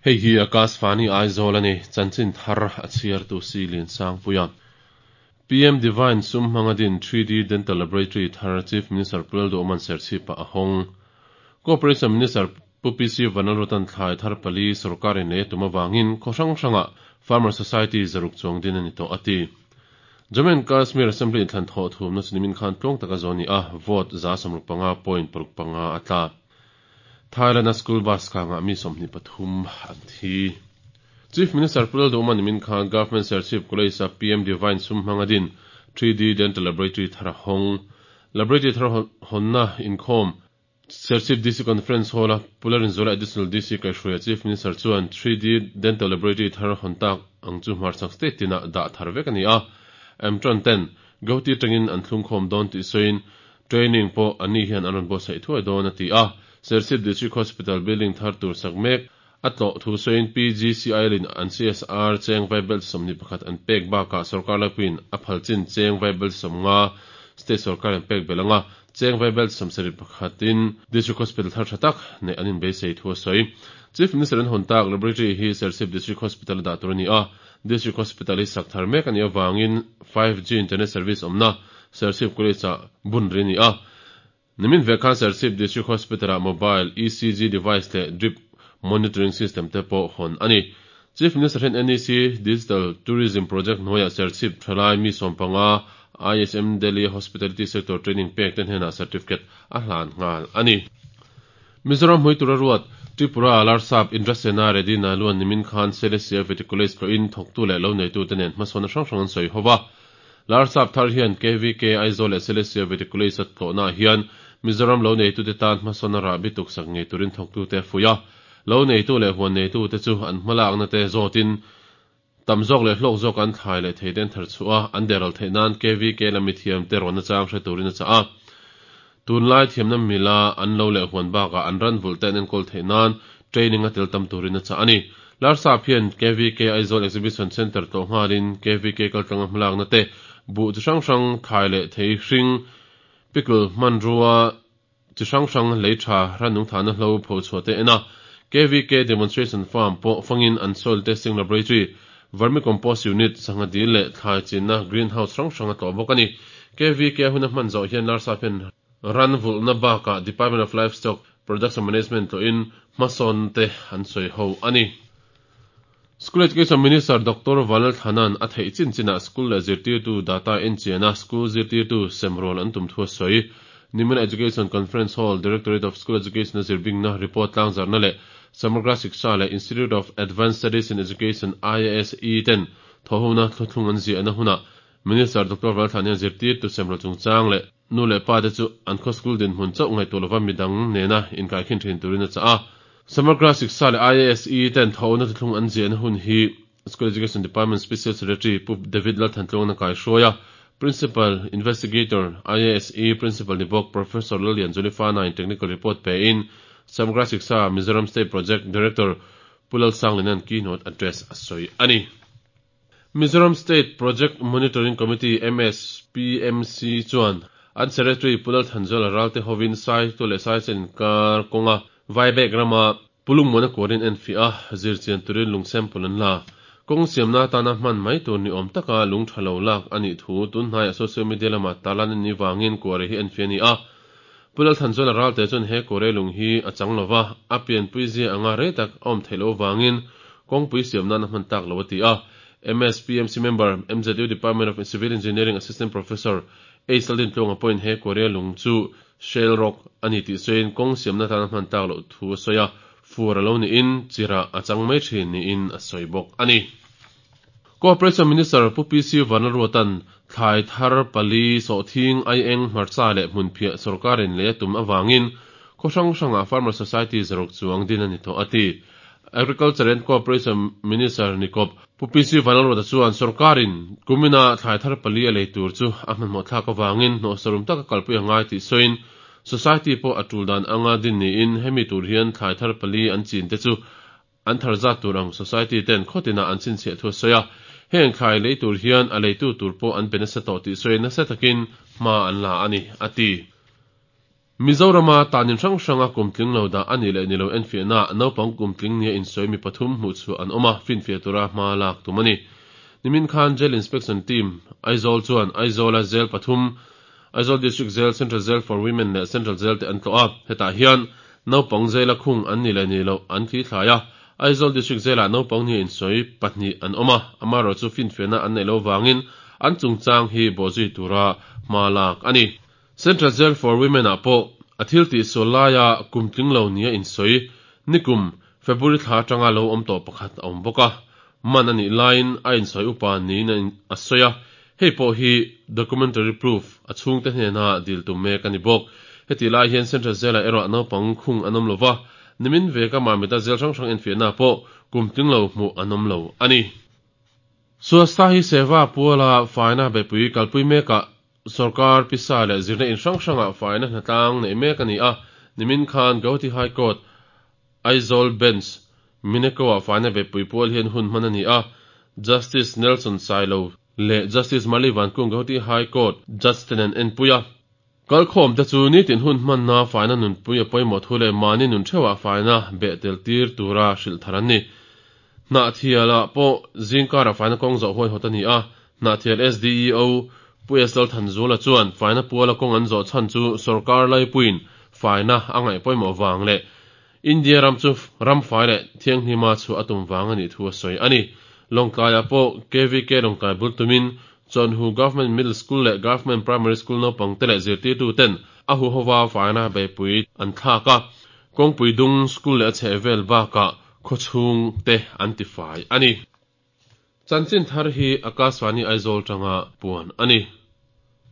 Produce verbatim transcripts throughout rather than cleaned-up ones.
Hei hi Akashvani Aizawl ani chanchin thar a chhiar tu si Lin Sangpuia. P M Divine sum hmangadin three D Dental Laboratory thar Chief Minister Pu Lalduhoma'n Serchhip ah a hawng. Cooperation Minister Pu P C Vanlalruata'n thlai thar pali sorkarin lei a tum avangin khaw hrang hrangah Farmer Society zaruk chuang din a ni tawh a ti. Jammu and Kashmir Assembly inthlan thawh thumna chu nimin khan tluang taka zawn ni a, vote za sawmruk panga point paruk panga a tla. Thailand a school bus kangah mi sawmhnih pathum an thi. Chief Minister Pu Lalduhoma nimin khan Government Serchhip College a P M Divine sum hmangadin three D Dental Laboratory thar a hawng. Laboratory thar hawnna inkhawm Serchhip D C Conference Hall a Pu Lalrinzuala Additional D C kaihhruaia Chief Minister chuan three D Dental Laboratory thar hawn tak ang chu hmarchhak state tinah dah thar vek a ni a. Amtron ten Guwahati atangin an thlungkhawm dawn tih sawiin training pawh anni hian an rawn buatsaih thuai dawn a ti a. Serchhip District Hospital building thar tur sak mek a tlawh thu sawiin P G C I L in an C S R cheng vaibel sawmhnih pakhat an pek bakah sorkar laipuiin a phalchin cheng vaibel sawmnga state sorkar an pek belh anga cheng vaibel sawmsarih pakhatin District Hospital thar tha tak nei an inbeisei thu a sawi. Chief Minister an hawn tak laboratory hi Serchhip District Hospital a dah tur a ni a. District Hospital hi sak thar mek a nih avangin five G internet service awmna Serchhip College ah bun ri a ni a. Nimin ve khan Serchhip District Hospital ah mobile E C G device leh drip monitoring system te pawh hawn a ni. Chief Minister hian N E C Digital Tourism Project hnuaiah Serchhip thalai mi sawmpanga I S M Delhi Hospitality Sector Training pek te hnenah certificate a hlan nghal a ni. Mizoram hmuitur a ruat Tripura Larsap Indrasena Reddy Naidu-a'n nimin khan Selesih V T College tlawhin thawktu leh lo neitu te nen hmasawn hrang hrang an sawi ho va. Larsap thar hian K V K Aizawl leh Selesih V T College a tlawhnaah hian Mizoram lo neitu te tan hmasawn a rah bituk sak ngei turin thawktu te a fuih a. Lo neitu leh huan neitu te chu an hmalakna te zawtin tam zawk leh hlawk zawk an thlai leh thei ten thar chhuah a an deral theih nan K V K lami thiam te rawn nachang hre turin a chah a. Tunlai thiamna mila an lo leh huan bakah an ran vulh te an enkawl theih nan training a tel tam turin a chah a ni. Larsap hian K V K Aizawl Exhibition Centre tlawh nghalin K V K kaltlanga hmalakna te buh chi hrang hrang thlai leh thei hring pickle hmanrua chi hrang hrang lei tha ranung thahna hlo pho chhuah te en a. K V K Demonstration Farm pawh fangin an soil testing laboratory, vermicompost unit, sangha dil leh thlai chinna greenhouse hrang hrang a tlawh bawk a ni. K V K hun a hman zawh hian Larsap hian ran vulhna bakah Department of Livestock Production Management tlawhin hmasawn te an sawi ho a ni. School Education Minister Doctor Vanlalthlana'n a theih chin chinah school leh zirtirtu data enchian a school zirtirtu semrawl an tum thu a sawi. Nimin Education Conference Hall, Directorate of School Education a zirbingna report tlangzarhna leh Samagra Shiksha leh Institute of Advanced Studies in Education I A S E ten thawhona thluthlung an ziahna hunah Minister Doctor Vanlalthlana hian zirtirtu semrawl chungchang leh nu leh pa te chu an khaw school dinhmun chauh ngaihtuah lova midang nena inkaikhin thin turin a chah a. Samagra Shiksha leh I A S E ten thawhona thluthlung an ziahna hun hi School Education Department Special Secretary Pu David Lalthantluang na kaihruai a. Principal Investigator I A S E Principal ni bawk Professor Lalian Zulifana in technical report pe in Samagra Shiksha Mizoram State Project Director Pu Lalsangliana'n keynote address a sawi a ni. Mizoram State Project Monitoring Committee M S P M C chuan an Secretary Pu Lalthanzuala Ralte hovin Saitual leh Saichal inkar kawnga Vaibek rama Pulungmuan a kuarin en fiah a zirchian turin lung sample an la. Kawng siamna atana hman mai tur ni awm taka lung tha lo lak a nih thu tunhnaiah social media lama tarlan an nih vangin kuare hi en fiah a ni a. Pu Lalthanzuala Ralte chuan he kuare lung hi a chang lova a pianpui zia anga rei tak a awm theih loh avangin kawngpui siam nan a hman tak lo a ti a. M S P M C member M Z U Department of Civil Engineering Assistant Professor H Laldin Tluanga pawhin he kuare lung chu shale rock a ni tih sawiin kawng siamna atana hman tak loh thu a sawi a. Fur a lo niin chirah a chang mai thin niin a sawi bawk a ni. Cooperation Minister Pu P C Vanlalruata'n thlai thar pali sawhthing aieng hmarcha leh hmunphiah sorkarin lei a tum avangin khaw hrang hrangah Farmer Society zaruk chuang din a ni tawh a ti. Agriculture and Cooperation Minister Nikop Pu P C Vanlalruata chuan sorkarin kumina thlai thar pali a lei tur chu a hmanhmawh thlak avangin hnawh sarum taka kalpui a ngai tih sawiin Society pawh a tul dan anga din niin hemi tur hian thlai thar pali an chin te chu an thar zat tur ang Society ten khawtinah an chhinchhiah thu a sawi a. Heng thlai lei tur hian a leitu tur pawh an pe nasa tawh tih sawiin nasa takin hma an la a ni a ti. Mizorama tanin hrang hranga kumtling lo da ani leh nilo enfiahna naupang kumtling nia insawi mi pathum hmuh chu an awm a finfiah tura hma lak tum ani. Nimin khan Jail Inspection Team Aizawl chuan Aizawla Jail pathum Aizawl District Jail, Central Jail for Women leh Central Jail te an tlawh a hetah hian naupang jail a khung an ni leh nilo an thli thlai a Aizawl District Jail ah naupang nia insawi pahnih an awm a amaherawhchu chu finfiahna an nei lo wangin an chungchang hi bawhzui tura hma lak ani. Central Jail for Women ah pawh a thil tih sual laia kumtling lo nia insawi nikum February thla atanga lo awm tawh pakhat a awm bawk a man ani laiin a insawi upa niin a sawi a hei pawh hi documentary proof a chhungte hnena dil tum mek ani bawk heti lai hian Central Jail ah erawh naupang khung an awm lova nimin veka mamita jail hrang hrang enfiahna pawh kumtling lo hmuh an awm lo ani. Swasthya Hi Seva puala faina beipui kalpui mekah Sarkar pisa leh zirna in hrang hranga faina hnatlang nei mek ani a nimin khan Guwahati High Court Aizawl Bench Mineko ah faina beipui pual hian hun hman ani a Justice Nelson Sailo leh Justice Mali Vankung Guwahati High Court Judge ten an enpui a kalkhawm te chu nitin hun hmanna faina nunpui a pawimawh thu leh mahni nun theuhah faina beh tel tir tura hrilh thar an ni. Hnahthial ah pawh zingkara faina kawng zawh huai hawt ani a Hnahthial S D E O Pu S L Thanzula chuan faina puala kawng an zawh chhan chu sarkar laipuiin faina a ngaih pawimawh wang leh India ram chu ram fai leh thianghlima chu a tum wang ani thu a sawi ani. Lawngtlai ah pawh K V K Lawngtlai bul tumin Chonhu Government Middle School leh Government Primary School naupang te leh zirtirtu ten a hu howa faina beipui an thlak a kawngpui dung school leh a chhehvel bakah khawchhung te an ti fai ani. Chanchin thar hi Akashvani Aizawl tanga puan ani.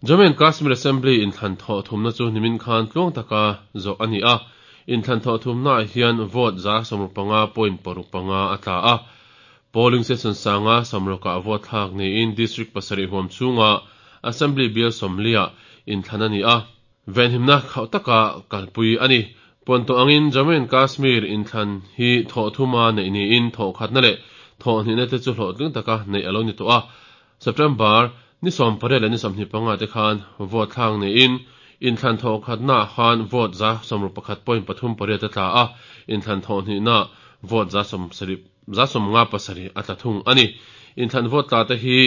Jammu and Kashmir Assembly in thlan thaw thumna chu nimin khan tluang taka zawh ani a in thlan thaw thumna ah hian vote za sawmruk panga point paruk panga a tla a polling station sanga sawmruk ah vote thlak niin district pasarih huam chhunga Assembly bial sawmli ah in thlan ani a venhimna khauh taka kalpui ani. Puan tawh angin Jammu and Kashmir in thlan hi thaw thuma nei niin thaw khatna leh thaw hnihna te chu hlawhtling taka nei alo ni tawh a September ni sawm pariat leh ni sawmhnih panga te khan vote thlak niin in thlan thaw khatna khan vote za sawmruk pakhat point pathum pariat a tla a in thlan thaw hnihna vote za sawm sarih za sawm nga pasarih a tla thung ani. In thlan vote tla te hi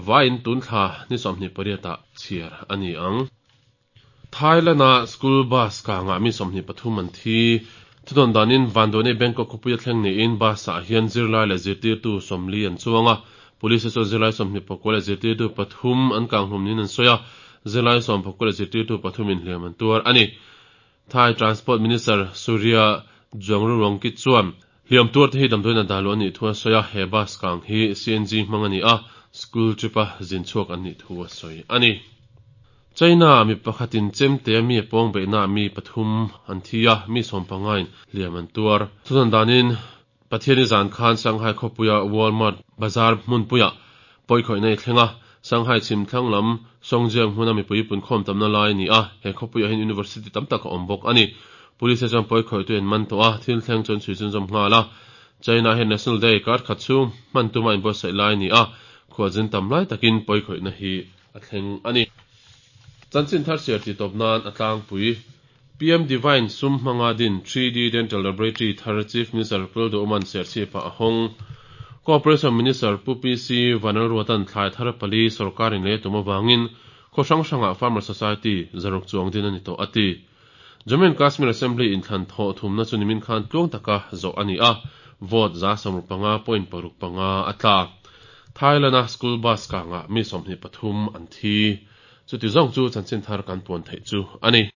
vain tun thla ni sawmhnih pariat ah chhiar ani ang. Thailand a school bus ka nga mi sawmhnih pathum an thi thudon danin Vandone Bangkok khawpui a thleng niin bus ah hian zirlai leh zirtirtu sawmli an chuang a police chuan zirlai sawmhnih pakua leh zirtirtu pathum an kanghlum niin an sawi a zirlai sawm pakua leh zirtirtu pathum in hliam an tuar ani. Thai Transport Minister Surya Juangroongruangkit chuan hliam tuar te hi damdawiin a dahluh anih thu a sawi a he bus kang hi C N G hmang ani a school trip a zin chhuak an nih thu a sawi ani. China mi pakhatin chemte a mi a pawng beihna mi pathum an thi a mi sawm pangain hliam an tuar. Thudan danin Pathiani zan khan Shanghai khawpuia Walmart bazar hmunpuia pawikhawih nei thlenga Shanghai chhim thlang lam Songjiang hmuna mipui pun khawm tamna lai ni a he khawpuia hian university tam tak a awm bawk ani. Police chuan pawikhawih tu en man tawh a thil thleng chuan chhui chun zawm nghal a China hian National Day kar khat chhung hman tuma inbuatsaih lai ni a khualzin tam lai takin pawikhawihna hi a thleng ani. Chanchin thar siar ti tawp nan a tlangpui P M Divine sum hmanga din three D Dental Laboratory thar Chief Minister Pu Lalduhoma'n Serchhip ah a hawng. Cooperation Minister Pu P C Vanlalruatan thlai thar pali sarkarin lei tum awangin khaw hrang hrangah Farmer Society zaruk chuang din ani tawh a ti. Jammu and Kashmir Assembly in thlan thaw thumna chu nimin khan tluang taka zawh ani a vote za sawmruk panga point paruk panga a tla. Thailand a school bus kangah mi sawmhnih pathum an thi. Chuti zawng chu chanchin thar kan puan theih chu ani.